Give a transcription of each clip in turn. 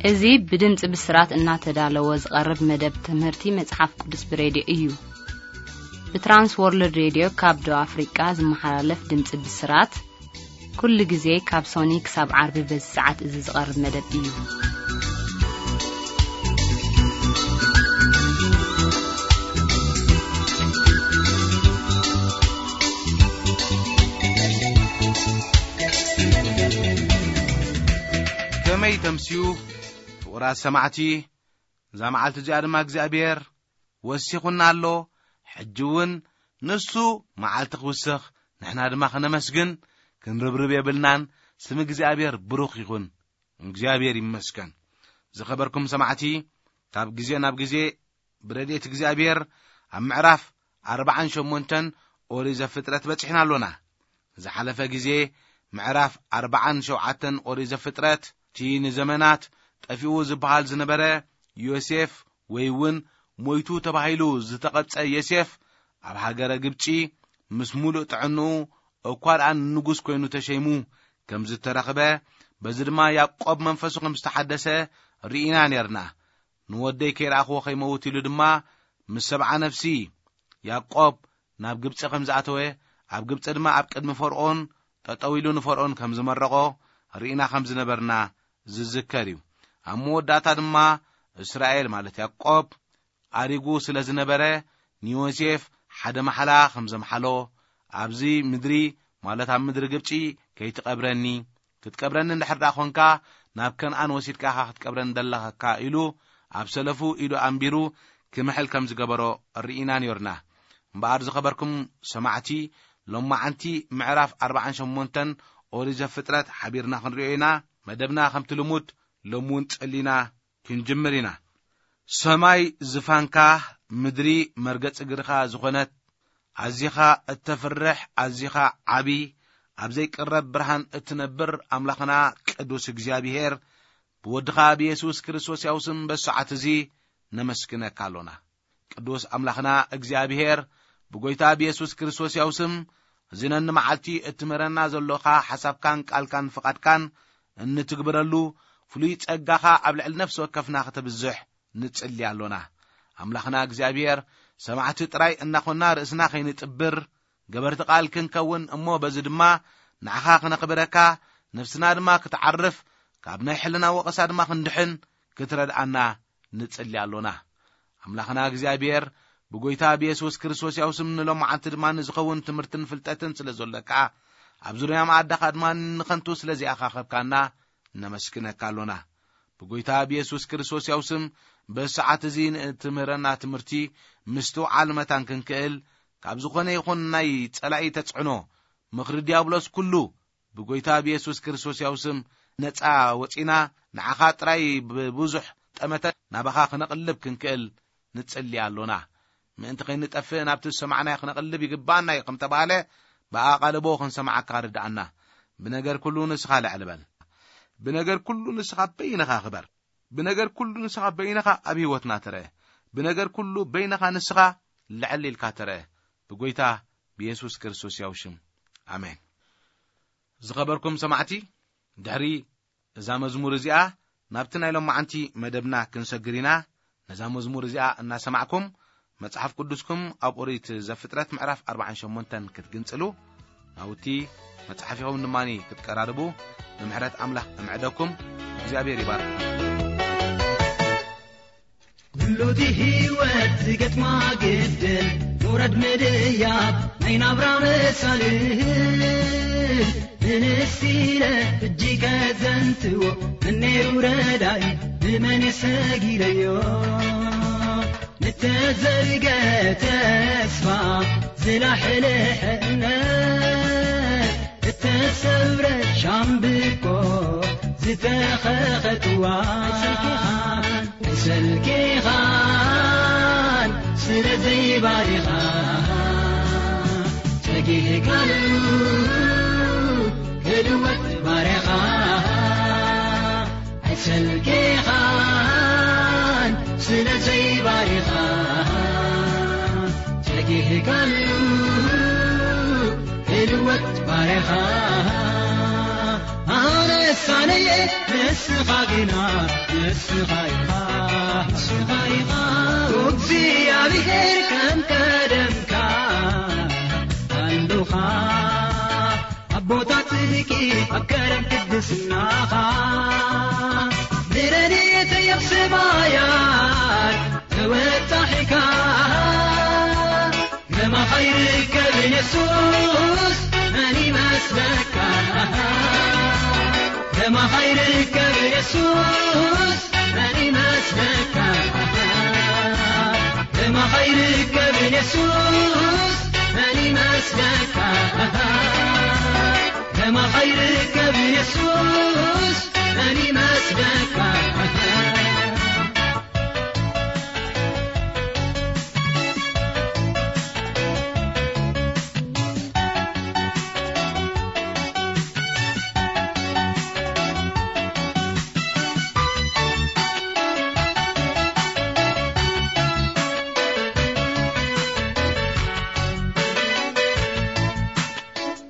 እዚ ብድምፂ ብስራት እናተዳለወ ዝቐርብ መደብ ትምህርቲ መጽሓፍ ቅዱስ ብሬድዮ እዩ። ብትራንስ ወርልድ ሬድዮ ካብ ደቡብ ኣፍሪቃ ዝመሓላለፍ ድምፂ ብስራት፣ ኩሉ ግዜ ካብ ሶኒ ክሳብ ዓርቢ በዚ ሰዓት እዚ ዝቐርብ መደብ እዩ። ከመይ ተምስዩ? ፍቑራት ሰማዕቲ፣ እዛ መዓልቲ እዚኣ ድማ እግዚኣብሔር ወሲኹና ኣሎ። ሕጂ እውን ንሱ መዓልቲ ክውስኽ፣ ንሕና ድማ ከነመስግን ክንርብርብ የብልናን። ስም እግዚኣብሔር ብሩኽ ይኹን። እግዚኣብሔር ይመስገን። ዝኸበርኩም ሰማዕቲ፣ ካብ ግዜ ናብ ግዜ ብረድኤት እግዚኣብሔር ኣብ ምዕራፍ ኣርባዓን ሸሞንተን ኦሪት ዘፍጥረት በጺሕና ኣሎና። ዝሓለፈ ግዜ ምዕራፍ ኣርባዓን ሸውዓተን ኦሪት ዘፍጥረት፣ እቲ ንዘመናት ጠፊኡ ዝበሃል ዝነበረ ዮሴፍ፣ ወይ እውን ሞይቱ ተባሂሉ ዝተቐብጸ ዮሴፍ፣ ኣብ ሃገረ ግብጺ ምስ ሙሉእ ጥዕንኡ እኳ ደኣ ንጉስ ኮይኑ ተሸይሙ ከም ዝተረኽበ፣ በዚ ድማ ያዕቆብ መንፈሱ ከም ዝተሓደሰ ርኢና ኔርና። ንወደይ ከይረኣኽዎ ከይመውት ኢሉ ድማ ምስ ሰብዓ ነፍሲ ያዕቆብ ናብ ግብጺ ከም ዝኣተወ፣ ኣብ ግብጺ ድማ ኣብ ቅድሚ ፈርኦን ጠጠው ኢሉ ንፈርኦን ከም ዝመረቖ ርኢና ከም ዝነበርና ዝዝከር እዩ። ኣብ መወዳእታ ድማ እስራኤል ማለት ያዕቆብ ኣሪጉ ስለ ዝነበረ፣ ንዮሴፍ ሓደ ማሕላ ከም ዘምሓሎ፣ ኣብዚ ምድሪ ማለት ኣብ ምድሪ ግብጺ ከይትቐብረኒ፣ ክትቀብረኒ እንድሕር ደኣ ኾንካ ናብ ከነኣን ወሲድካ ኢኻ ክትቀብረኒ ደለኻ ኢሉ ኣብ ሰለፉ ኢዱ ኣንቢሩ ክምሕል ከም ዝገበሮ ርኢና ኔርና። እምበኣር ዝኸበርኩም ሰማዕቲ፣ ሎማዓንቲ ምዕራፍ ኣርባዓን ሸሞንተን ኦሪት ዘፍጥረት ሓቢርና ክንሪኦ ኢና። መደብና ከምቲ ልሙድ ሎሚ እውን ጸሊና ክንጅምር ኢና። ሰማይ ዝፋንካ፣ ምድሪ መርገጺ እግርኻ ዝኾነት፣ ኣዚኻ እተፍርሕ፣ ኣዚኻ ዓቢ፣ ኣብ ዘይቅረብ ብርሃን እትነብር ኣምላኽና ቅዱስ እግዚኣብሔር፣ ብወድኻ ብየሱስ ክርስቶስ ያው ስም በዚ ሰዓት እዚ ነመስግነካ ኣሎና። ቅዱስ ኣምላኽና እግዚኣብሔር፣ ብጎይታ ብየሱስ ክርስቶስ ያው ስም፣ እዚ ነኒ መዓልቲ እትምህረና ዘሎኻ ሓሳብካን ቃልካን ፍቓድካን እንትግብረሉ፣ ፍሉይ ጸጋኻ ኣብ ልዕሊ ነፍሲ ወከፍና ከተብዝሕ ንጽሊ ኣሎና። ኣምላኽና እግዚኣብሔር፣ ሰማዕቲ ጥራይ እናኾንና ርእስና ከይንጥብር፣ ገበርቲ ቃል ክንከውን፣ እሞ በዚ ድማ ንዓኻ ክነኽብረካ፣ ነፍስና ድማ ክትዓርፍ፣ ካብ ናይ ሕልና ወቐሳ ድማ ክንድሕን ክትረድኣና ንጽሊ ኣሎና። ኣምላኽና እግዚኣብሔር፣ ብጎይታ ብየሱስ ክርስቶስ ያው ስም ንሎማዓንቲ ድማ ንዝኸውን ትምህርትን ፍልጠትን ስለ ዘሎካ፣ ኣብ ዙርያ መኣዳኻ ድማ ንኸንቱ ስለ ዘይኣኻኸብካና ነመስግነካ ኣሎና። ብጎይታ ብየሱስ ክርስቶስ ያው ስም በዚ ሰዓት እዚ ንእትምህረና ትምህርቲ ምስትውዓል መታን ክንክእል፣ ካብ ዝኾነ ይኹን ናይ ጸላኢ ተጽዕኖ፣ ምኽሪ ዲያብሎስ ኩሉ ብጎይታ ብየሱስ ክርስቶስ ያው ስም ነጻ ወጺና፣ ንዓኻ ጥራይ ብብዙሕ ጠመተ ናባኻ ክነቕልብ ክንክእል ንጽሊ ኣሎና። ምእንቲ ከይንጠፍእ ናብቲ ዝሰማዕናዮ ክነቕልብ ይግባኣና እዩ ከም ተባህለ፣ ብኣቓልቦ ክንሰማዓካ ርድኣና። ብነገር ኩሉ ንስኻ ልዕል በል። ብነገር ኩሉ ንስኻ በይንኻ ክበር። ብነገር ኩሉ ንስኻ በይንኻ ኣብ ህይወትና ትረአ። ብነገር ኩሉ በይንኻ ንስኻ ልዕል ኢልካ ትረአ። ብጎይታ ብየሱስ ክርስቶስ ያው ሽም። ኣሜን። ዝኸበርኩም ሰማዕቲ፣ ድሕሪ እዛ መዝሙር እዚኣ ናብቲ ናይ ሎማዓንቲ መደብና ክንሰግር ኢና። ነዛ መዝሙር እዚኣ እናሰማዕኩም መጽሓፍ ቅዱስኩም ኣብ ኦሪት ዘፍጥረት ምዕራፍ ኣርባዓን ሸሞንተን ክትግንጽሉ፣ ናውቲ መጽሓፊኹም ድማ ክትቀራርቡ ብምሕረት ኣምላኽ እምዕደኩም። እግዚኣብሔር ይባርክ። ኩሉ እቲ ህይወት ዝገጥማ ግድል፣ ውረድ ምድያብ ናይ ናብራ መሳልል። ንንስ ኢለ እጅ ከዘንትዎ፣ መን ነይሩ ረዳኢ፣ ብመን የሰጊደዮ? ንተዘርገ ተስፋ፣ ዝላሕልሐ እምነት፣ እተሰብረ ሻምብቆ፣ ዝተኸኸ ጥዋን፣ ኣይሰልኬኻን ስለ ዘይባሪኻ፣ ጸጊዕካሉ ክልወጥ ባርያኻ። ኣይሰልኬኻን ስለ ዘይባሪኻ፣ ጸጊዕካሉ ክልወጥ ባርያኻ። ኣነስ ኣነየ፣ ንስኻ ግና፣ ንስኻ ኢኻ፣ ንስኻ ኢኻ። እግዚኣብሔር ከም ቀደምካ ኣሉኻ። ኣቦታት ጽድቂ ኣብ ከረን ቅድስናኻ፣ ንረድኤተይ ኣብ ሰማያት ተወጣሒካ። ከማኻ ይርከብ የሱስ፣ መን ይመስለካ? ከማኻ ይርከብ የሱስ፣ መን ይመስለካ? ከማኻ ይርከብ የሱስ፣ መን ይመስለካ? ከማኻ ይርከብ የሱስ፣ መን ይመስለካ?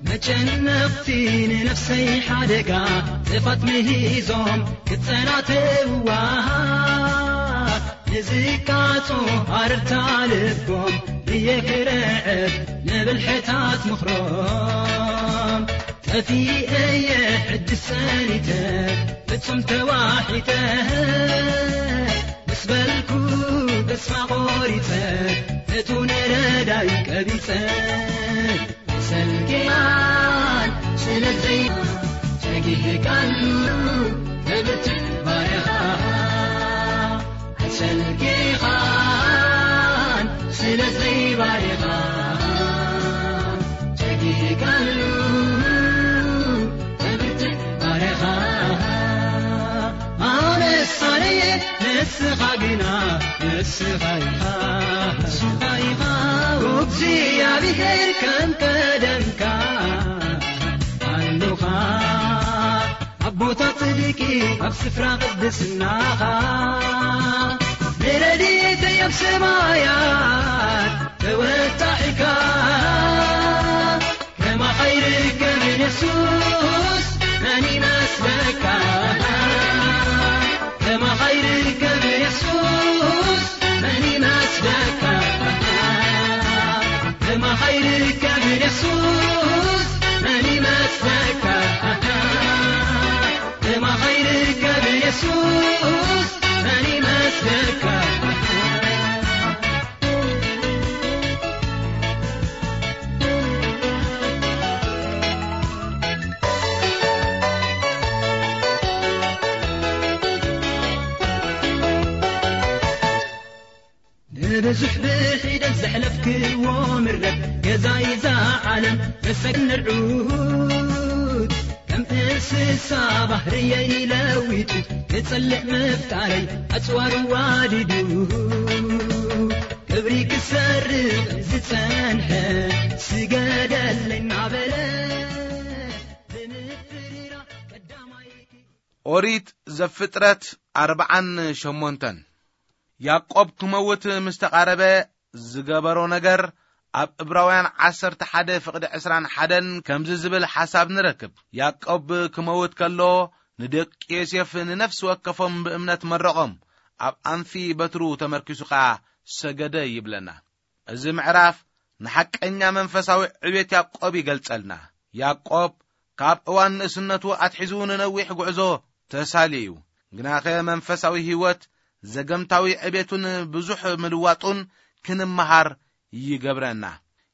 መጨነቕቲ ንነፍሰይ ሓደጋ፣ ጥፋት ምሂዞም ክጸናተውዋ። ንዝቃጾ ኣረርታ ልቦም ብየክረዕብ ንብልሕታት ምኽሮም። ጠፊኤ እየ ሕጂ ሰኒተ፣ ፍጹም ተዋሒጠ። ምስ በልኩ ተስፋ ቆሪጸ፣ እቱ ነረዳይ ቀቢጸ። ሰልኪያን ስለዘይ ጸጊህካሉ ተብትዕ ባርኻ። ኣይሰልኪኻን ስለዘይ ባርኻ። ጸጊህካሉ ተብትዕ ባርኻ። ኣነስ ኣነየ፣ ንስኻ ግና፣ ንስኻ ኢኻ፣ ንስኻ ኢኻ። እግዚኣብሔር ከም ቀደምካ ኣሉኻ። ኣቦታት ጽድቂ ኣብ ስፍራ ቅድስናኻ፣ ንረድኤተይ ኣብ ሰማያት ተወጣሒካ። ከማኻ ይርከብ የሱስ፣ መን ይመስለካ? ከማኻ ይርከብ የሱስ፣ መን ይመስለካ? ከማኻ ይርከብ የሱስ፣ መን ይመስለካ? ከማኻ ይርከብ የሱስ፣ መን ይመስለካ? ንብዙሕ ብሒደት ዘሕለፍክዎ ምረት፣ ገዛይ እዛ ዓለም መሰግን ንርዑት። ከም እንስሳ ባህርየይ ለዊጡ፣ ክጸልእ ምፍጣረይ ኣጽዋሩ ዋዲዱ። ክብሪ ክሰርቕ ዝጸንሐ፣ ስገደለይ እናበለ ብምፍሪራ ቀዳማይ። ኦሪት ዘፍጥረት ኣርብዓን ሸሞንተን። ያዕቆብ ክመውት ምስ ተቓረበ ዝገበሮ ነገር ኣብ ዕብራውያን ዓሰርተ ሓደ ፍቕዲ ዕስራን ሓደን ከምዚ ዝብል ሓሳብ ንረክብ። ያዕቆብ ክመውት ከሎ ንደቂ ዮሴፍ ንነፍሲ ወከፎም ብእምነት መረቖም፣ ኣብ ኣንፊ በትሩ ተመርኪሱ ኸኣ ሰገደ ይብለና። እዚ ምዕራፍ ንሓቀኛ መንፈሳዊ ዕቤት ያዕቆብ ይገልጸልና። ያዕቆብ ካብ እዋን ንእስነቱ ኣትሒዙ ንነዊሕ ጉዕዞ ተሳልዩ እዩ። ግናኸ መንፈሳዊ ህይወት ዘገምታዊ ዕቤቱን ብዙሕ ምልዋጡን ክንመሃር ይገብረና።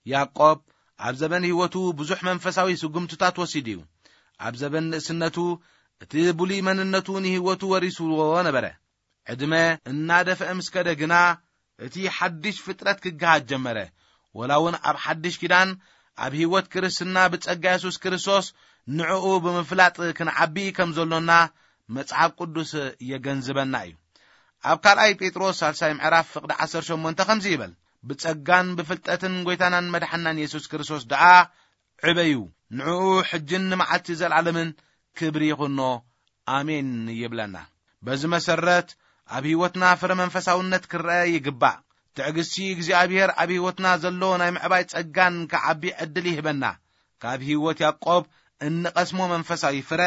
ያዕቆብ ኣብ ዘበን ህይወቱ ብዙሕ መንፈሳዊ ስጉምትታት ወሲዱ እዩ። ኣብ ዘበን ንእስነቱ እቲ ብሉይ መንነቱ ንህይወቱ ወሪስዎ ነበረ። ዕድመ እናደፍአ ምስ ከደ ግና፣ እቲ ሓድሽ ፍጥረት ክገሃድ ጀመረ። ወላ እውን ኣብ ሓድሽ ኪዳን፣ ኣብ ህይወት ክርስትና ብጸጋ የሱስ ክርስቶስ ንዕኡ ብምፍላጥ ክንዓቢ ከም ዘሎና መጽሓፍ ቅዱስ የገንዝበና እዩ። ኣብ ካልኣይ ጴጥሮስ ሳልሳይ ምዕራፍ ፍቕዲ ዓሰርተ ሸሞንተ ከምዚ ይብል፣ "ብጸጋን ብፍልጠትን ጐይታናን መድሓናን የሱስ ክርስቶስ ደኣ ዕበዩ፣ ንዕኡ ሕጅን ንመዓልቲ ዘለዓለምን ክብሪ ይኹኖ፣ ኣሜን" ይብለና። በዚ መሰረት፣ ኣብ ህይወትና ፍረ መንፈሳውነት ክረአ ይግባእ። ትዕግስቲ እግዚኣብሔር ኣብ ህይወትና ዘሎ ናይ ምዕባይ ጸጋን ክዓቢ ዕድል ይህበና። ካብ ህይወት ያዕቆብ እንቐስሞ መንፈሳዊ ፍረ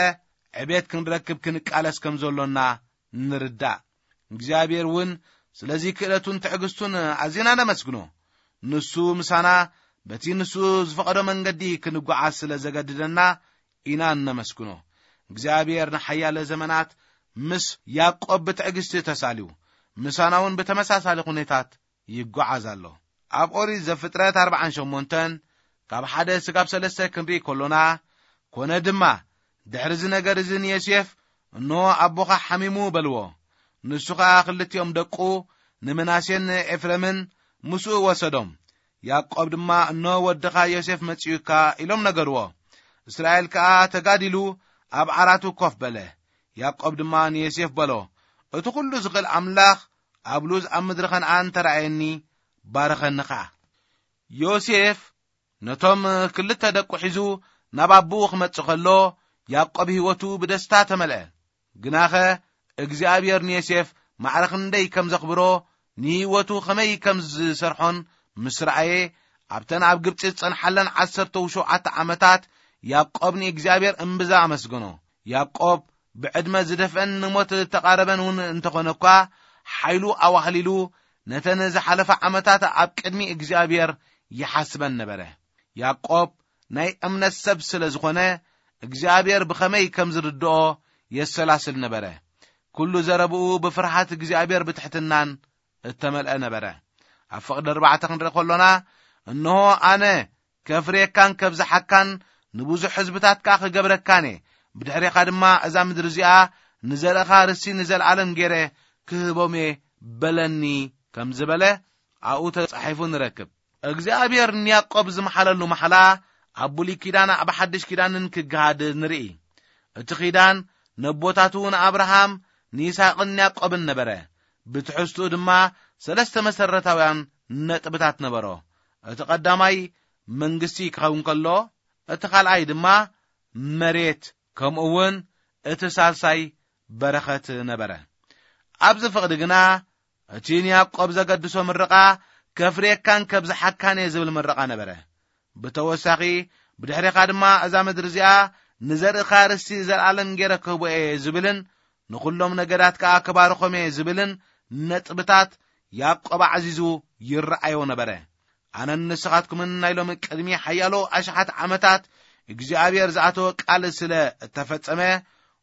ዕቤት ክንረክብ ክንቃለስ ከም ዘሎና ንርዳእ። እግዚኣብሔር እውን ስለዚ ክእለቱን ትዕግስቱን ኣዚና ነመስግኖ። ንሱ ምሳና በቲ ንሱ ዝፈቐዶ መንገዲ ክንጓዓዝ ስለ ዘገድደና ኢና እነመስግኖ። እግዚኣብሔር ንሓያለ ዘመናት ምስ ያዕቆብ ብትዕግስቲ ተሳልዩ፣ ምሳና እውን ብተመሳሳሊ ኩነታት ይጓዓዝ ኣሎ። ኣብ ኦሪት ዘፍጥረት ኣርባዓን ሸሞንተን ካብ ሓደ ስጋብ ሰለስተ ክንርኢ ከሎና፣ ኮነ ድማ ድሕሪ እዚ ነገር እዚ ንዮሴፍ፣ "እንሆ ኣቦኻ ሓሚሙ" በልዎ። ንሱ ኸኣ ክልቲኦም ደቁ፣ ንምናሴን ንኤፍሬምን ምስኡ ወሰዶም። ያዕቆብ ድማ፣ "እንሆ ወድኻ ዮሴፍ መጺኡካ" ኢሎም ነገርዎ። እስራኤል ከኣ ተጋዲሉ ኣብ ዓራቱ ኮፍ በለ። ያዕቆብ ድማ ንዮሴፍ በሎ፣ "እቲ ኹሉ ዝኽእል ኣምላኽ ኣብ ሉዝ ኣብ ምድሪ ኸነኣን ተራእየኒ፣ ባርኸኒ ኸኣ።" ዮሴፍ ነቶም ክልተ ደቁ ሒዙ ናብ ኣቦኡ ክመጽእ ከሎ፣ ያዕቆብ ህይወቱ ብደስታ ተመልአ። ግናኸ እግዚኣብሔር ንዮሴፍ ማዕረ ክንደይ ከም ዘኽብሮ፣ ንህይወቱ ኸመይ ከም ዝሰርሖን ምስ ረኣየ፣ ኣብተን ኣብ ግብጺ ዝጸንሓለን ዓሰርተ ሸውዓተ ዓመታት ያዕቆብ ንእግዚኣብሔር እምብዛ ኣመስገኖ። ያዕቆብ ብዕድመ ዝደፍአን ንሞት ዝተቓረበን እውን እንተኾነ እኳ፣ ሓይሉ ኣዋህሊሉ ነተን ዝሓለፋ ዓመታት ኣብ ቅድሚ እግዚኣብሔር ይሓስበን ነበረ። ያዕቆብ ናይ እምነት ሰብ ስለ ዝኾነ፣ እግዚኣብሔር ብኸመይ ከም ዝርድኦ የሰላስል ነበረ። ኩሉ ዘረብኡ ብፍርሃት እግዚኣብሔር ብትሕትናን እተመልአ ነበረ። ኣብ ፍቕዲ ኣርባዕተ ክንርኢ ከሎና፣ "እንሆ ኣነ ከፍርየካን ከብዝሓካን ንብዙሕ ህዝብታት ከኣ ክገብረካን እየ። ብድሕሬኻ ድማ እዛ ምድሪ እዚኣ ንዘርእኻ ርስቲ ንዘለኣለም ገይረ ክህቦም እየ" በለኒ ከም ዝበለ ኣብኡ ተጻሒፉ ንረክብ። እግዚኣብሔር ንያዕቆብ ዝመሓለሉ መሓላ ኣብ ብሉይ ኪዳን ኣብ ሓድሽ ኪዳንን ክገሃድ ንርኢ። እቲ ኪዳን ነቦታቱ ንኣብርሃም፣ ንይስሐቅን ንያዕቆብን ነበረ። ብትሕዝትኡ ድማ ሰለስተ መሰረታውያን ነጥብታት ነበሮ። እቲ ቀዳማይ መንግስቲ ክኸውን ከሎ፣ እቲ ካልኣይ ድማ መሬት፣ ከምኡ እውን እቲ ሳልሳይ በረኸት ነበረ። ኣብዚ ፍቕዲ ግና እቲ ንያዕቆብ ዘገድሶ ምርቓ፣ "ከፍርየካን ከብዝሓካን እየ" ዝብል ምርቓ ነበረ። ብተወሳኺ፣ "ብድሕሬኻ ድማ እዛ ምድሪ እዚኣ ንዘርእኻ ርስቲ ዘለኣለም ገይረ ክህቦ እየ" ዝብልን፣ "ንኹሎም ነገዳት ከኣ ክባርኾም እየ" ዝብልን ነጥብታት ያዕቆብ ኣዕዚዙ ይረኣዮ ነበረ። ኣነን ንስኻትኩምን ናይ ሎሚ ቅድሚ ሓያሎ ኣሽሓት ዓመታት እግዚኣብሔር ዝኣተወ ቃል ስለ እተፈጸመ፣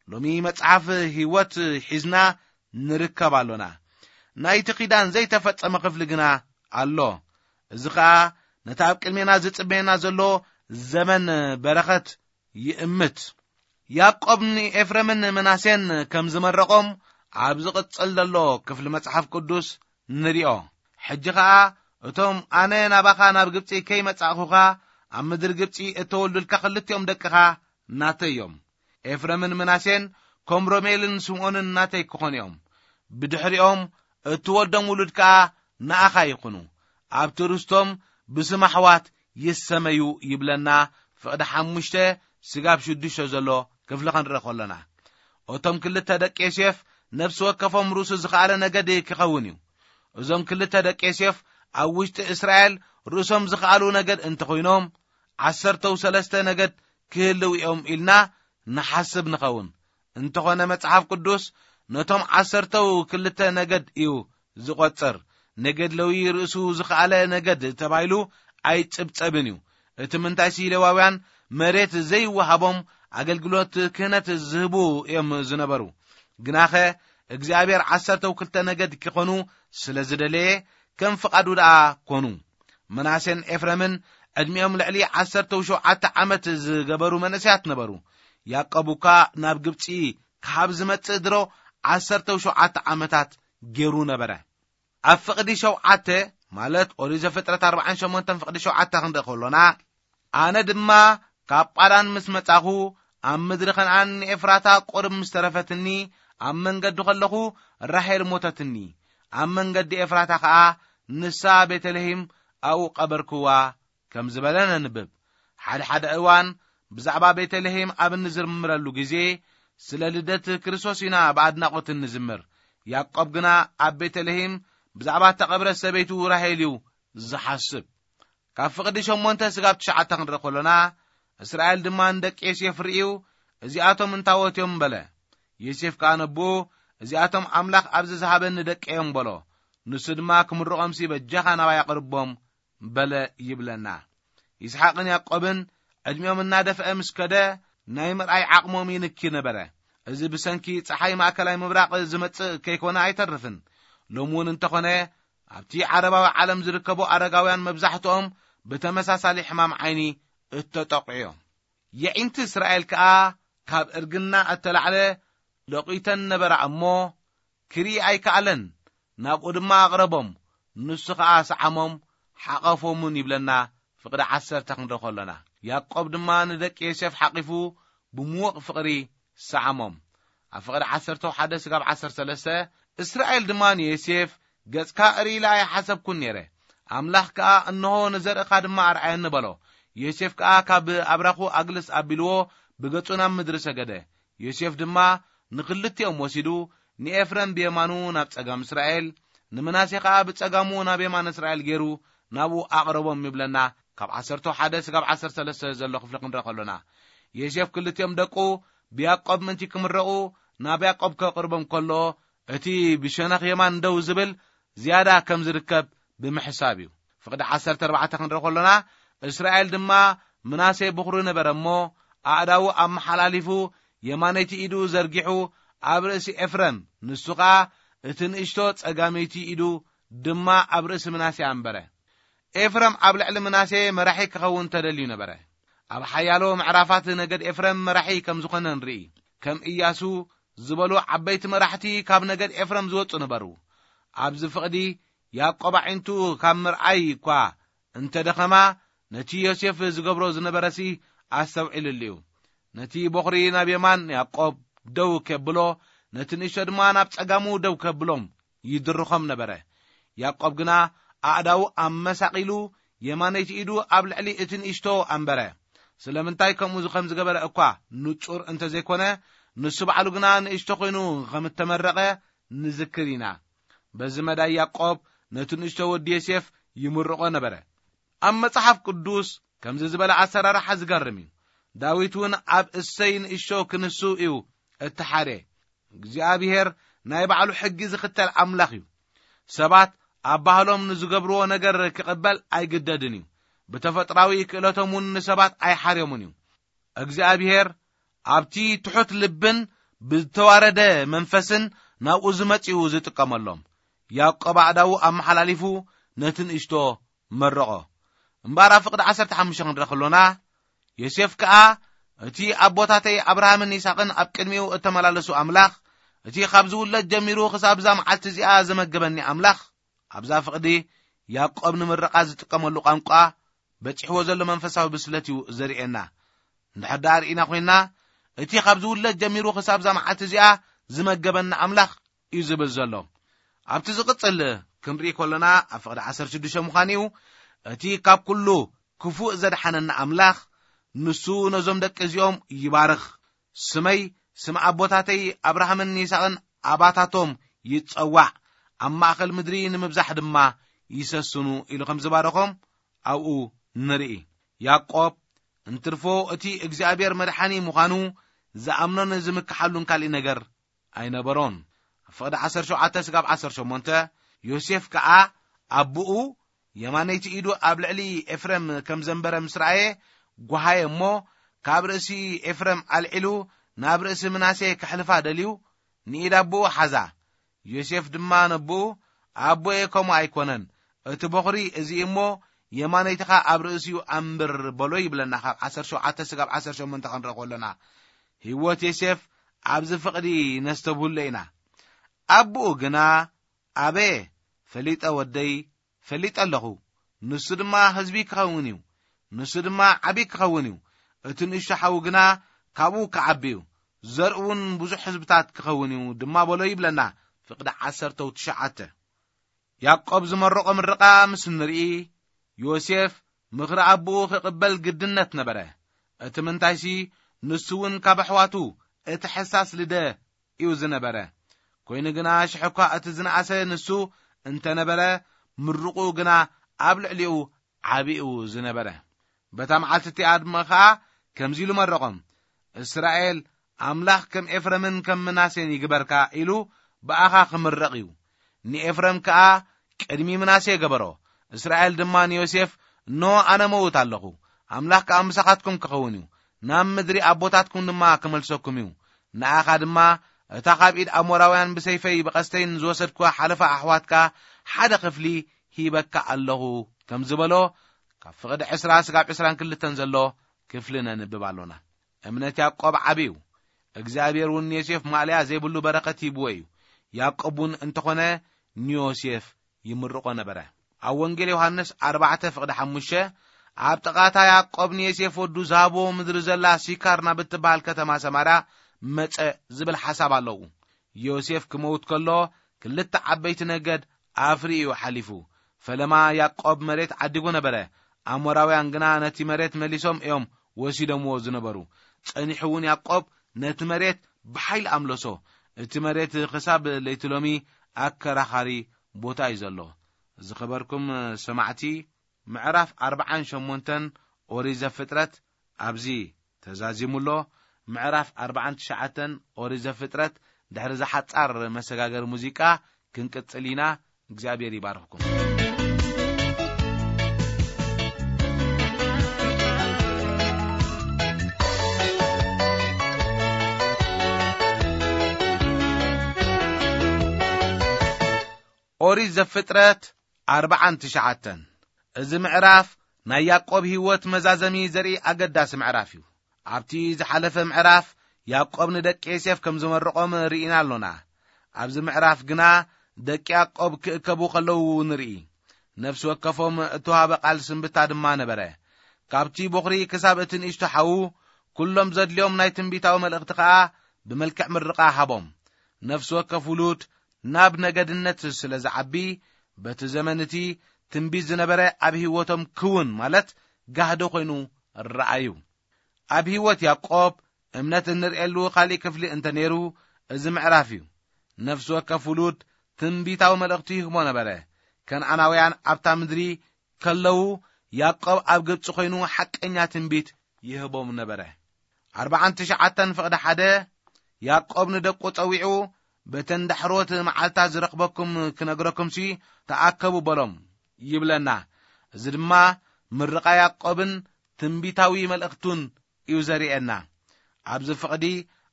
ሎሚ መጽሓፍ ህይወት ሒዝና ንርከብ ኣሎና። ናይቲ ኪዳን ዘይተፈጸመ ክፍሊ ግና ኣሎ። እዚ ኸኣ ነቲ ኣብ ቅድሜና ዝጽበየና ዘሎ ዘመን በረኸት ይእምት። ያዕቆብ ንኤፍሬምን ምናሴን ከም ዝመረቖም ኣብ ዝቕጽል ዘሎ ክፍሊ መጽሓፍ ቅዱስ ንሪኦ። ሕጂ ኸኣ እቶም ኣነ ናባኻ ናብ ግብጺ ከይመጻእኹኻ ኣብ ምድሪ ግብጺ እተወልዱልካ ክልቲኦም ደቅኻ ናተይ እዮም። ኤፍሬምን ምናሴን ከም ሮሜልን ስምዖንን ናተይ ክኾኑ እዮም። ብድሕሪኦም እትወልዶም ውሉድ ከኣ ንኣኻ ይኹኑ። ኣብቲ ርስቶም ብስም ኣሕዋት ይሰመዩ ይብለና ፍቕዲ ሓሙሽተ ስጋብ ሽዱሽተ ዘሎ ክፍሊ ክንርኢ ከሎና። እቶም ክልተ ደቂ ዮሴፍ ነፍሲ ወከፎም ርእሱ ዝኸኣለ ነገድ ክኸውን እዩ። እዞም ክልተ ደቂ ዮሴፍ ኣብ ውሽጢ እስራኤል ርእሶም ዝኸኣሉ ነገድ እንተኾይኖም፣ ዓሰርተው ሰለስተ ነገድ ክህልው እዮም ኢልና ንሓስብ ንኸውን። እንተኾነ መጽሓፍ ቅዱስ ነቶም ዓሰርተው ክልተ ነገድ እዩ ዝቖጽር። ነገድ ለዊ ርእሱ ዝኸኣለ ነገድ ተባሂሉ ኣይጽብጸብን እዩ። እቲ ምንታይሲ ሌዋውያን መሬት ዘይወሃቦም ኣገልግሎት ክህነት ዝህቡ እዮም ዝነበሩ። ግናኸ እግዚኣብሔር ዓሰርተው ክልተ ነገድ ክኾኑ ስለ ዝደለየ ከም ፍቓዱ ደኣ ኮኑ። ምናሴን ኤፍረምን ዕድሚኦም ልዕሊ ዓሰርተው ሸውዓተ ዓመት ዝገበሩ መንእሰያት ነበሩ። ያዕቆብ እኳ ናብ ግብጺ ካብ ዝመጽእ ድሮ ዓሰርተው ሸውዓተ ዓመታት ገይሩ ነበረ። ኣብ ፍቕዲ ሸውዓተ፣ ማለት ኦሪት ዘፍጥረት ኣርባዓን ሸሞንተን ፍቕዲ ሸውዓተ ክንርኢ ከሎና፣ ኣነ ድማ ካብ ጳዳን ምስ መጻኹ፣ ኣብ ምድሪ ከነኣን ንኤፍራታ ቁርብ ምስ ተረፈትኒ፣ ኣብ መንገዲ ከለኹ ራሄል ሞተትኒ። ኣብ መንገዲ ኤፍራታ ኸኣ ንሳ ቤተልሔም ኣብኡ ቀበርክዋ ከም ዝበለ ነንብብ። ሓደ ሓደ እዋን ብዛዕባ ቤተልሔም ኣብ እንዝምረሉ ግዜ፣ ስለ ልደት ክርስቶስ ኢና ብኣድናቖት እንዝምር። ያዕቆብ ግና ኣብ ቤተልሔም ብዛዕባ እተቐብረት ሰበይቱ ራሄል እዩ ዝሓስብ። ካብ ፍቕዲ ሸሞንተ ስጋብ ትሽዓተ ክንርኢ ከሎና፣ እስራኤል ድማ ንደቂ ዮሴፍ ርእዩ፣ "እዚኣቶም እንታዎት እዮም?" በለ። ዮሴፍ ከኣ ነቦኡ፣ "እዚኣቶም ኣምላኽ ኣብዚ ዝሃበኒ ደቂ እዮም" በሎ። ንሱ ድማ፣ "ክምርቖምሲ በጃኻ ናባይ ኣቕርቦም" በለ ይብለና። ይስሓቅን ያዕቆብን ዕድሚኦም እናደፍአ ምስ ከደ፣ ናይ ምርኣይ ዓቕሞም ይንኪ ነበረ። እዚ ብሰንኪ ጸሓይ ማእከላይ ምብራቕ ዝመጽእ ከይኮነ ኣይተርፍን። ሎሚ እውን እንተኾነ፣ ኣብቲ ዓረባዊ ዓለም ዝርከቡ ኣረጋውያን መብዛሕትኦም ብተመሳሳሊ ሕማም ዓይኒ እተጠቕዑ እዮም። የዒንቲ እስራኤል ከኣ ካብ እርግና እተላዕለ ለቒተን ነበራ እሞ፣ ክርኢ ኣይከኣለን። ናብኡ ድማ ኣቕረቦም፣ ንሱ ኸኣ ሰዓሞም፣ ሓቐፎምን ይብለና። ፍቕዲ ዓሰርተ ክንርኢ ከሎና፣ ያዕቆብ ድማ ንደቂ ዮሴፍ ሓቒፉ ብምዉቕ ፍቕሪ ሰዓሞም። ኣብ ፍቕዲ ዓሰርተ ሓደ ስጋብ ዓሰርተ ሰለስተ፣ እስራኤል ድማ ንዮሴፍ፣ "ገጽካ እርኢ ኢለ ኣይሓሰብኩን ነይረ፣ ኣምላኽ ከኣ፣ 'እንሆ፣ ንዘርእኻ ድማ ኣርኣየኒ' በሎ። ዮሴፍ ከኣ ካብ ኣብራኹ ኣግልስ ኣቢልዎ፣ ብገጹ ናብ ምድሪ ሰገደ። ዮሴፍ ድማ ንኽልቲኦም ወሲዱ፣ ንኤፍረም ብየማኑ ናብ ጸጋም እስራኤል፣ ንምናሴ ኸኣ ብጸጋሙ ናብ የማን እስራኤል ገይሩ ናብኡ ኣቕረቦም" ይብለና። ካብ ዓሰርተ ሓደ ስጋብ ዓሰርተ ሰለስተ ዘሎ ክፍሊ ክንርኢ ከሎና፣ ዮሴፍ ክልቲኦም ደቁ ብያዕቆብ ምእንቲ ክምረቑ ናብ ያዕቆብ ከቕርቦም ከሎ፣ እቲ ብሸነኽ የማን ደው ዝብል ዝያዳ ከም ዝርከብ ብምሕሳብ እዩ። ፍቕዲ ዓሰርተ ኣርባዕተ ክንርኢ ከሎና፣ እስራኤል ድማ ምናሴ ብኹሩ ነበረ እሞ፣ ኣእዳዉ ኣመሓላሊፉ የማነይቲ ኢዱ ዘርጊሑ ኣብ ርእሲ ኤፍረም፣ ንሱ ኸኣ እቲ ንእሽቶ ጸጋመይቲ ኢዱ ድማ ኣብ ርእሲ ምናሴ ኣንበረ። ኤፍረም ኣብ ልዕሊ ምናሴ መራሒ ክኸውን ተደልዩ ነበረ። ኣብ ሓያሎ ምዕራፋት ነገድ ኤፍረም መራሒ ከም ዝኾነ ንርኢ። ከም ኢያሱ ዝበሉ ዓበይቲ መራሕቲ ካብ ነገድ ኤፍረም ዝወጹ ነበሩ። ኣብዚ ፍቕዲ ያዕቆብ ኣዒንቱ ካብ ምርኣይ እኳ እንተ ደኸማ፣ ነቲ ዮሴፍ ዝገብሮ ዝነበረሲ ኣስተውዒሉሉ እዩ። ነቲ በኹሪ ናብ የማን ያዕቆብ ደው ከብሎ፣ ነቲ ንእሽቶ ድማ ናብ ጸጋሙ ደው ከብሎም ይድርኾም ነበረ። ያዕቆብ ግና ኣእዳዉ ኣመሳቒሉ፣ የማነይቲ ኢዱ ኣብ ልዕሊ እቲ ንእሽቶ ኣንበረ። ስለምንታይ ከምኡ ከም ዝገበረ እኳ ንጹር እንተ ዘይኮነ፣ ንሱ ባዕሉ ግና ንእሽቶ ኮይኑ ከም እተመረቐ ንዝክር ኢና። በዚ መዳይ ያዕቆብ ነቲ ንእሽቶ ወዲ ዮሴፍ ይምርቖ ነበረ። ኣብ መጽሓፍ ቅዱስ ከምዚ ዝበለ ኣሰራርሓ ዝገርም እዩ። ዳዊት እውን ኣብ እሰይ ንእሽቶ ክንሱ እዩ እተሓርየ። እግዚኣብሔር ናይ ባዕሉ ሕጊ ዝኽተል ኣምላኽ እዩ። ሰባት ኣብ ባህሎም ንዝገብርዎ ነገር ክቕበል ኣይግደድን እዩ። ብተፈጥራዊ ክእለቶም እውን ንሰባት ኣይሓርዮምን እዩ። እግዚኣብሔር ኣብቲ ትሑት ልብን ብዝተዋረደ መንፈስን ናብኡ ዝመጽኡ ዝጥቀመሎም። ያዕቆብ ኣእዳዉ ኣመሓላሊፉ ነቲ ንእሽቶ መረቖ። እምበኣር ኣብ ፍቕዲ ዓሰርተ ሓሙሽተ ክንርኢ ከሎና፣ ዮሴፍ ከኣ፣ "እቲ ኣቦታተይ ኣብርሃምን ይስሐቅን ኣብ ቅድሚኡ እተመላለሱ ኣምላኽ፣ እቲ ካብ ዝውለድ ጀሚሩ ክሳብ እዛ መዓልቲ እዚኣ ዝመገበኒ ኣምላኽ"፣ ኣብዛ ፍቕዲ ያዕቆብ ንምርቓ ዝጥቀመሉ ቋንቋ በጺሕዎ ዘሎ መንፈሳዊ ብስለት እዩ ዘርእየና። እንድሕር ደኣ ርኢና ኮይንና፣ እቲ ካብ ዝውለድ ጀሚሩ ክሳብ እዛ መዓልቲ እዚኣ ዝመገበኒ ኣምላኽ እዩ ዝብል ዘሎ። ኣብቲ ዝቕጽል ክንርኢ ከሎና፣ ኣብ ፍቕዲ ዓሰርተ ሽዱሽተ ምዃኑ እዩ፣ እቲ ካብ ኩሉ ክፉእ ዘድሓነና ኣምላኽ፣ ንሱ ነዞም ደቂ እዚኦም ይባርኽ፣ ስመይ ስም ኣቦታተይ ኣብርሃምን ይስሐቅን ኣባታቶም ይጸዋዕ፣ ኣብ ማእከል ምድሪ ንምብዛሕ ድማ ይሰስኑ ኢሉ ከም ዝባረኾም ኣብኡ ንርኢ። ያዕቆብ እንትርፎ እቲ እግዚኣብሔር መድሓኒ ምዃኑ ዝኣምኖን ዝምክሓሉን ካልእ ነገር ኣይነበሮን። ኣብ ፍቕዲ ዓሰርተ ሸውዓተ ስጋብ ዓሰርተ ሸሞንተ፣ ዮሴፍ ከኣ ኣቦኡ የማነይቲ ኢዱ ኣብ ልዕሊ ኤፍሬም ከም ዘንበረ ምስ ረኣየ፣ ጓሃየ እሞ፣ ካብ ርእሲ ኤፍሬም ኣልዒሉ ናብ ርእሲ ምናሴ ከሕልፋ ደልዩ፣ ንኢድ ኣቦኡ ሓዛ። ዮሴፍ ድማ ነቦኡ፣ "ኣቦየ ከምኡ ኣይኮነን፣ እቲ በኹሪ እዚ እሞ የማነይትኻ ኣብ ርእሲኡ ኣንብር" በሎ ይብለና፣ ካብ ዓሰርተ ሸውዓተ ስጋብ ዓሰርተ ሸሞንተ ክንርኢ ከሎና። ህይወት ዮሴፍ ኣብዚ ፍቕዲ ነስተብህሎ ኢና። ኣቦኡ ግና፣ "ኣበየ፣ ፈሊጠ ወደይ፣ ፈሊጠ ኣለኹ። ንሱ ድማ ህዝቢ ክኸውን እዩ፣ ንሱ ድማ ዓቢ ክኸውን እዩ። እቲ ንእሽቶ ሓዉ ግና ካብኡ ክዓቢ እዩ፣ ዘርኡ እውን ብዙሕ ህዝብታት ክኸውን እዩ ድማ" በሎ ይብለና፣ ፍቕዲ ዓሰርተ ትሽዓተ። ያዕቆብ ዝመረቖ ምርቓ ምስ ንርኢ፣ ዮሴፍ ምኽሪ ኣቦኡ ክቕበል ግድነት ነበረ። እቲ ምንታይሲ፣ ንሱ እውን ካብ ኣሕዋቱ እቲ ሕሳስ ልደ እዩ ዝነበረ። ኮይኑ ግና፣ ሽሕ እኳ እቲ ዝነኣሰ ንሱ እንተ ነበረ፣ ምርቑኡ ግና ኣብ ልዕሊኡ ዓቢ እዩ ዝነበረ። በታ መዓልቲ እቲኣ ድማ ኸኣ ከምዚ ኢሉ መረቖም፣ "እስራኤል ኣምላኽ ከም ኤፍረምን ከም ምናሴን ይግበርካ" ኢሉ ብኣኻ ክምረቕ እዩ። ንኤፍረም ከኣ ቅድሚ ምናሴ ገበሮ። እስራኤል ድማ ንዮሴፍ፣ "እነሆ ኣነ መውት ኣለኹ፣ ኣምላኽ ከኣ ምሳኻትኩም ክኸውን እዩ፣ ናብ ምድሪ ኣቦታትኩም ድማ ክመልሰኩም እዩ። ንኣኻ ድማ እታ ካብ ኢድ ኣሞራውያን ብሰይፈይ ብቐስተይን ዝወሰድኩዋ ሓለፋ ኣሕዋትካ ሓደ ክፍሊ ሂበካ ኣለኹ" ከም ዝበሎ፣ ካብ ፍቕዲ ዕስራ ስጋብ ዕስራን ክልተን ዘሎ ክፍሊ ነንብብ ኣሎና። እምነት ያዕቆብ ዓቢ እዩ። እግዚኣብሔር እውን ንዮሴፍ ማእለያ ዘይብሉ በረኸት ሂብዎ እዩ። ያዕቆብ እውን እንተኾነ ንዮሴፍ ይምርቖ ነበረ። ኣብ ወንጌል ዮሃንስ ኣርባዕተ ፍቕዲ ሓሙሽተ፣ ኣብ ጥቓታ ያዕቆብ ንዮሴፍ ወዱ ዝሃብዎ ምድሪ ዘላ ሲካር ናብ እትበሃል ከተማ ሰማርያ መጸ ዝብል ሓሳብ ኣለዉ። ዮሴፍ ክመውት ከሎ ክልተ ዓበይቲ ነገድ ኣፍሪ እዩ ሓሊፉ። ፈለማ ያዕቆብ መሬት ዓዲጉ ነበረ። ኣሞራውያን ግና ነቲ መሬት መሊሶም እዮም ወሲዶምዎ ዝነበሩ። ጸኒሑ እውን ያዕቆብ ነቲ መሬት ብሓይሊ ኣምለሶ። እቲ መሬት ክሳብ ለይቲ ሎሚ ኣከራኻሪ ቦታ እዩ ዘሎ። ዝኸበርኩም ሰማዕቲ፣ ምዕራፍ ኣርባዓን ሸሞንተን ኦሪት ዘፍጥረት ኣብዚ ተዛዚሙ ኣሎ። ምዕራፍ ኣርባዓን ትሽዓተን ኦሪት ዘፍጥረት ድሕሪ ዝሓጻር መሰጋገሪ ሙዚቃ ክንቅጽል ኢና። እግዚኣብሔር ይባርኽኩም። ኦሪት ዘፍጥረት ኣርባዓን ትሽዓተን። እዚ ምዕራፍ ናይ ያዕቆብ ህይወት መዛዘሚ ዘርኢ ኣገዳሲ ምዕራፍ እዩ። ኣብቲ ዝሓለፈ ምዕራፍ ያዕቆብ ንደቂ ዮሴፍ ከም ዝመረቖም ርኢና ኣሎና። ኣብዚ ምዕራፍ ግና ደቂ ያዕቆብ ክእከቡ ከለዉ ንርኢ። ነፍሲ ወከፎም እተዋህበ ቃል ስንብታ ድማ ነበረ። ካብቲ ቦኽሪ ክሳብ እቲ ንእሽቶ ሓዉ፣ ኩሎም ዘድልዮም ናይ ትንቢታዊ መልእኽቲ ኸኣ ብመልክዕ ምርቓ ሃቦም። ነፍሲ ወከፍ ውሉድ ናብ ነገድነት ስለ ዝዓቢ፣ በቲ ዘመን እቲ ትንቢት ዝነበረ ኣብ ህይወቶም ክውን፣ ማለት ጋህዲ ኮይኑ ረኣዩ። ኣብ ህይወት ያዕቆብ እምነት እንርእየሉ ካልእ ክፍሊ እንተ ነይሩ፣ እዚ ምዕራፍ እዩ። ነፍሲ ወከፍ ውሉድ ትንቢታዊ መልእኽቲ ይህቦ ነበረ። ከነኣናውያን ኣብታ ምድሪ ከለዉ፣ ያዕቆብ ኣብ ግብጺ ኮይኑ ሓቀኛ ትንቢት ይህቦም ነበረ። ኣርባዓን ትሽዓተን ፍቕዲ ሓደ፣ ያዕቆብ ንደቁ ጸዊዑ፣ "በተን ዳሕሮት መዓልታት ዝረኽበኩም ክነግረኩምሲ ተኣከቡ" በሎም ይብለና። እዚ ድማ ምርቓ ያዕቆብን ትንቢታዊ መልእኽቱን እዩ ዘርእየና። ኣብዚ ፍቕዲ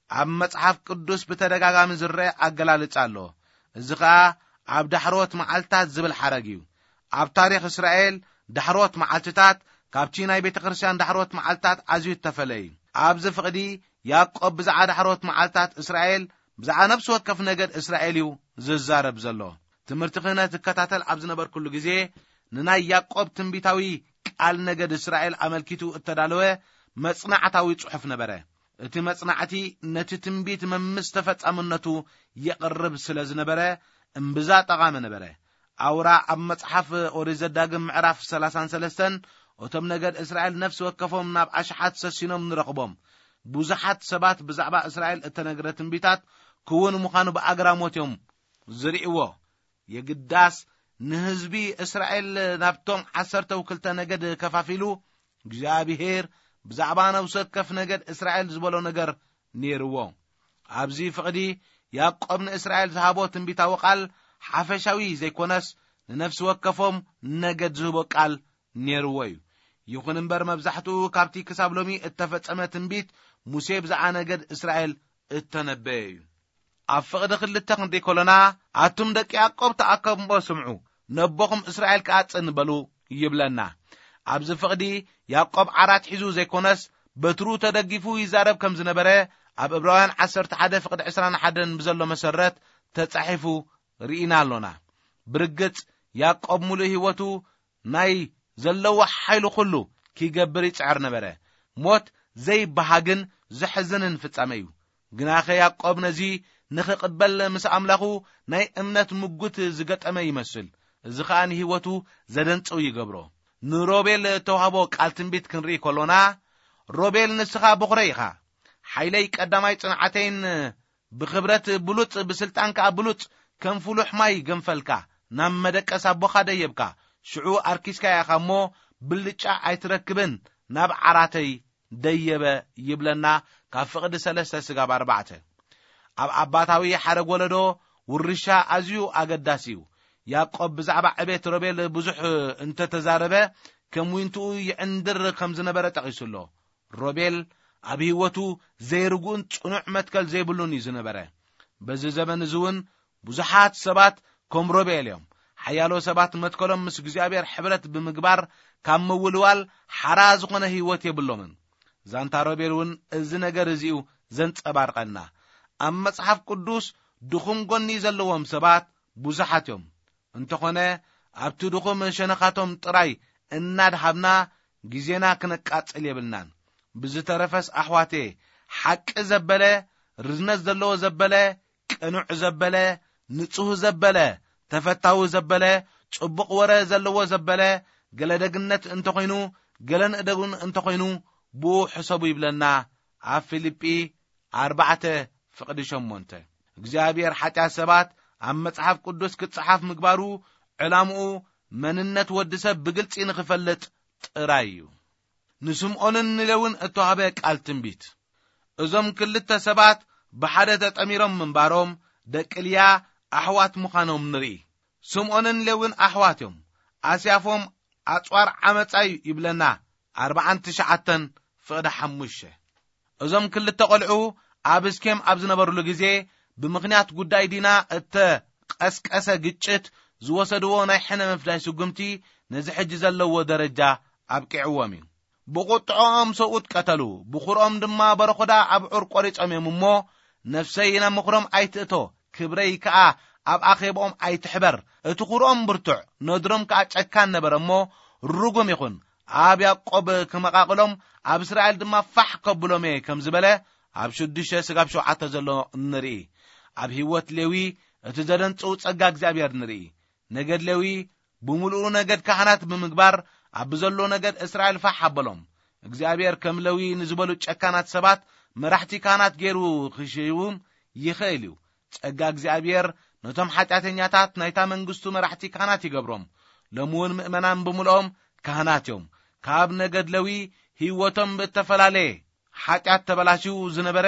ኣብ መጽሓፍ ቅዱስ ብተደጋጋሚ ዝረአ ኣገላልጻ ኣሎ። እዚ ኸኣ ኣብ ዳሕሮት መዓልታት ዝብል ሓረግ እዩ። ኣብ ታሪኽ እስራኤል ዳሕሮት መዓልትታት ካብቲ ናይ ቤተ ክርስቲያን ዳሕሮት መዓልትታት ኣዝዩ እተፈለ እዩ። ኣብዚ ፍቕዲ ያዕቆብ ብዛዕባ ዳሕሮት መዓልትታት እስራኤል፣ ብዛዕባ ነፍሲ ወከፍ ነገድ እስራኤል እዩ ዝዛረብ ዘሎ። ትምህርቲ ክህነት እከታተል ኣብ ዝነበርኩሉ ግዜ፣ ንናይ ያዕቆብ ትንቢታዊ ቃል ነገድ እስራኤል ኣመልኪቱ እተዳለወ መጽናዕታዊ ጽሑፍ ነበረ። እቲ መጽናዕቲ ነቲ ትንቢት መምስ ተፈጻምነቱ የቕርብ ስለ ዝነበረ፣ እምብዛ ጠቓሚ ነበረ። ኣውራ ኣብ መጽሓፍ ኦሪት ዘዳግም ምዕራፍ ሰላሳን ሰለስተን፣ "እቶም ነገድ እስራኤል ነፍሲ ወከፎም ናብ ኣሽሓት ሰሲኖም ንረኽቦም። ብዙሓት ሰባት ብዛዕባ እስራኤል እተነግረ ትንቢታት ክውን ምዃኑ ብኣግራሞት እዮም ዝርእይዎ። የግዳስ ንህዝቢ እስራኤል ናብቶም ዓሰርተው ክልተ ነገድ ከፋፊሉ፣ እግዚኣብሄር ብዛዕባ ነፍሲ ወከፍ ነገድ እስራኤል ዝበሎ ነገር ነይርዎ።" ኣብዚ ፍቕዲ ያዕቆብ ንእስራኤል ዝሃቦ ትንቢታዊ ቃል ሓፈሻዊ ዘይኮነስ፣ ንነፍሲ ወከፎም ነገድ ዝህቦ ቃል ነይርዎ እዩ። ይኹን እምበር፣ መብዛሕትኡ ካብቲ ክሳብ ሎሚ እተፈጸመ ትንቢት ሙሴ ብዛዕባ ነገድ እስራኤል እተነበየ እዩ። ኣብ ፍቕዲ ክልተ ክንርኢ ከሎና፣ "ኣቱም ደቂ ያዕቆብ ተኣከቡ እሞ ስምዑ፣ ነቦኹም እስራኤል ከኣ ጽን በሉ" ይብለና። ኣብዚ ፍቕዲ ያዕቆብ ዓራት ሒዙ ዘይኮነስ፣ በትሩ ተደጊፉ ይዛረብ ከም ዝነበረ፣ ኣብ ዕብራውያን ዓሰርተ ሓደ ፍቕዲ ዕስራን ሓደን ብዘሎ መሰረት ተጻሒፉ ርኢና ኣሎና። ብርግጽ፣ ያዕቆብ ምሉእ ህይወቱ ናይ ዘለዎ ሓይሉ ኩሉ ኪገብር ይጽዕር ነበረ። ሞት ዘይበሃግን ዘሕዝንን ፍጻመ እዩ። ግናኸ ያዕቆብ ነዚ ንኽቕበል ምስ ኣምላኹ ናይ እምነት ምጉት ዝገጠመ ይመስል። እዚ ኸኣ ንህይወቱ ዘደንጽው ይገብሮ። ንሮቤል እተዋህቦ ቃል ትንቢት ክንርኢ ከሎና፣ "ሮቤል ንስኻ በኹረይ ኢኻ፣ ሓይለይ ቀዳማይ ጽንዓተይን ብኽብረት ብሉጽ፣ ብስልጣን ከኣ ብሉጽ፣ ከም ፍሉሕ ማይ ገንፈልካ፣ ናብ መደቀስ ኣቦኻ ደየብካ፣ ሽዑ ኣርኪስካ ኢኻ እሞ፣ ብልጫ ኣይትረክብን፣ ናብ ዓራተይ ደየበ ይብለና። ካብ ፍቕዲ ሰለስተ ስጋብ ኣርባዕተ። ኣብ ኣባታዊ ሓረግ ወለዶ ውርሻ ኣዝዩ ኣገዳሲ እዩ። ያዕቆብ ብዛዕባ ዕቤት ሮቤል ብዙሕ እንተተዛረበ፣ ከም ዊንትኡ ይዕንድር ከም ዝነበረ ጠቒሱ ኣሎ። ሮቤል ኣብ ህይወቱ ዘይርጉእን ጽኑዕ መትከል ዘይብሉን እዩ ዝነበረ። በዚ ዘመን እዚ እውን ብዙሓት ሰባት ከም ሮቤል እዮም። ሓያሎ ሰባት መትከሎም ምስ እግዚኣብሔር ሕብረት ብምግባር ካብ ምውልዋል ሓራ ዝኾነ ህይወት የብሎምን። ዛንታ ሮቤል እውን እዚ ነገር እዚኡ ዘንጸባርቐልና። ኣብ መጽሓፍ ቅዱስ ድኹም ጎኒ ዘለዎም ሰባት ብዙሓት እዮም። እንተኾነ ኣብቲ ድኹም ሸነኻቶም ጥራይ እናድሃብና ግዜና ክነቃጽል የብልናን። ብዝተረፈስ ኣሕዋቴ፣ ሓቂ ዘበለ፣ ርዝነት ዘለዎ ዘበለ፣ ቅኑዕ ዘበለ፣ ንጹህ ዘበለ፣ ተፈታዊ ዘበለ፣ ጽቡቕ ወረ ዘለዎ ዘበለ፣ ገለ ደግነት እንተኾይኑ፣ ገለ ንእደጉን እንተኾይኑ፣ ብኡ ሕሰቡ ይብለና። ኣብ ፊልጲ ኣርባዕተ ፍቕዲ ሸሞንተ። እግዚኣብሔር ሓጢኣት ሰባት ኣብ መጽሓፍ ቅዱስ ክጸሓፍ ምግባሩ ዕላምኡ መንነት ወዲ ሰብ ብግልጺ ንኽፈልጥ ጥራይ እዩ። ንስምዖንን ንሌውን እተዋህበ ቃል ትንቢት። እዞም ክልተ ሰባት ብሓደ ተጠሚሮም ምንባሮም ደቂ ልያ ኣሕዋት ምዃኖም ንርኢ። ስምዖንን ሌውን ኣሕዋት እዮም። ኣስያፎም ኣጽዋር ዓመጻ እዩ ይብለና። ኣርባዓን ትሽዓተን ፍቕዲ ሓሙሽተ። እዞም ክልተ ቖልዑ ኣብ እስኬም ኣብ ዝነበሩሉ ግዜ ብምኽንያት ጉዳይ ዲና እተቐስቀሰ ግጭት ዝወሰድዎ ናይ ሕነ ምፍዳይ ስጉምቲ ነዚ ሕጂ ዘለዎ ደረጃ ኣብቂዕዎም እዩ። ብቑጥዖኦም ሰብኡት ቀተሉ፣ ብኹርኦም ድማ በረኹዳ ኣብ ዑር ቆሪጾም እዮም እሞ፣ ነፍሰይ ናብ ምኽሮም ኣይትእቶ፣ ክብረይ ከኣ ኣብ ኣኼብኦም ኣይትሕበር። እቲ ኹርኦም ብርቱዕ፣ ነድሮም ከኣ ጨካን ነበረ እሞ፣ ርጉም ይኹን። ኣብ ያዕቆብ ክመቓቕሎም፣ ኣብ እስራኤል ድማ ፋሕ ከብሎም እየ ከም ዝበለ፣ ኣብ ሽዱሽተ ስጋብ ሸውዓተ ዘሎ ንርኢ። ኣብ ህይወት ሌዊ እቲ ዘደንጽው ጸጋ እግዚኣብሔር ንርኢ። ነገድ ሌዊ ብምሉኡ ነገድ ካህናት ብምግባር፣ ኣብ ዘሎ ነገድ እስራኤል ፋሕ ኣበሎም። እግዚኣብሔር ከም ሌዊ ንዝበሉ ጨካናት ሰባት መራሕቲ ካህናት ገይሩ ክሽይዎም ይኽእል እዩ። ጸጋ እግዚኣብሔር ነቶም ሓጢኣተኛታት ናይታ መንግስቱ መራሕቲ ካህናት ይገብሮም። ሎሚ እውን ምእመናን ብምልኦም ካህናት እዮም። ካብ ነገድ ሌዊ ህይወቶም ብእተፈላለየ ሓጢኣት ተበላሽዩ ዝነበረ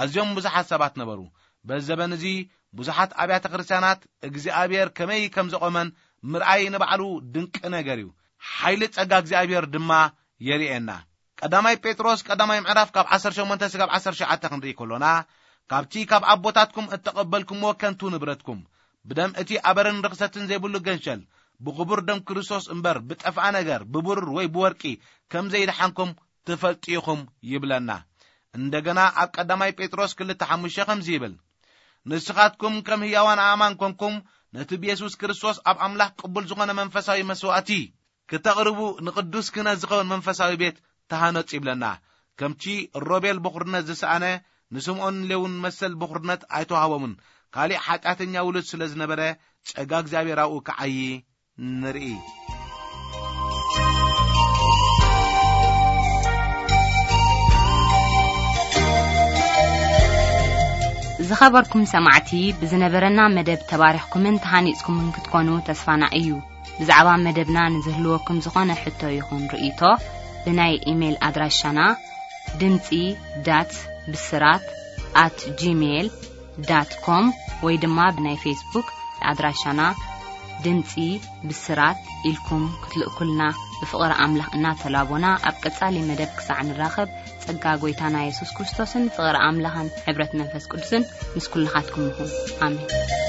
ኣዝዮም ብዙሓት ሰባት ነበሩ። በዚ ዘበን እዚ ብዙሓት ኣብያተ ክርስቲያናት እግዚኣብሔር ከመይ ከም ዘቖመን ምርኣይ ንባዕሉ ድንቂ ነገር እዩ። ሓይሊ ጸጋ እግዚኣብሔር ድማ የርእየና። ቀዳማይ ጴጥሮስ ቀዳማይ ምዕራፍ ካብ ዓሰርተ ሸሞንተ ስጋብ ዓሰርተ ትሽዓተ ክንርኢ ከሎና፣ ካብቲ ካብ ኣቦታትኩም እተቐበልኩምዎ ከንቱ ንብረትኩም፣ ብደም እቲ ኣበርን ርኽሰትን ዘይብሉ ገንሸል፣ ብኽቡር ደም ክርስቶስ እምበር ብጠፍኣ ነገር፣ ብብሩር ወይ ብወርቂ ከም ዘይደሓንኩም ትፈልጡ ኢኹም ይብለና። እንደገና ኣብ ቀዳማይ ጴጥሮስ ክልተ ሓሙሽተ ከምዚ ይብል፣ ንስኻትኩም ከም ህያዋን ኣእማን ኮንኩም፣ ነቲ ብየሱስ ክርስቶስ ኣብ ኣምላኽ ቅቡል ዝኾነ መንፈሳዊ መስዋእቲ ክተቕርቡ፣ ንቅዱስ ክህነት ዝኸውን መንፈሳዊ ቤት ተሃነጹ ይብለና። ከምቲ ሮቤል ብኹርነት ዝሰኣነ፣ ንስምዖን ሌውን መሰል ብኹርነት ኣይተዋህቦምን። ካሊእ ሓጢኣተኛ ውሉድ ስለ ዝነበረ፣ ጸጋ እግዚኣብሔር ኣብኡ ክዓዪ ንርኢ። ዝኸበርኩም ሰማዕቲ፣ ብዝነበረና መደብ ተባሪኽኩምን ተሃኒጽኩምን ክትኮኑ ተስፋና እዩ። ብዛዕባ መደብና ንዝህልወኩም ዝኾነ ሕቶ ይኹን ርእይቶ፣ ብናይ ኢሜይል ኣድራሻና ድምጺ ዳት ብስራት ኣት ጂሜይል ዳት ኮም ወይ ድማ ብናይ ፌስቡክ ኣድራሻና ድምጺ ብስራት ኢልኩም ክትልእኩልና ብፍቕሪ ኣምላኽ እናተላቦና፣ ኣብ ቀጻሊ መደብ ክሳዕ ንራኸብ፣ ጸጋ ጐይታና የሱስ ክርስቶስን ፍቕሪ ኣምላኽን ሕብረት መንፈስ ቅዱስን ምስ ኩልኻትኩም ይኹን። ኣሜን።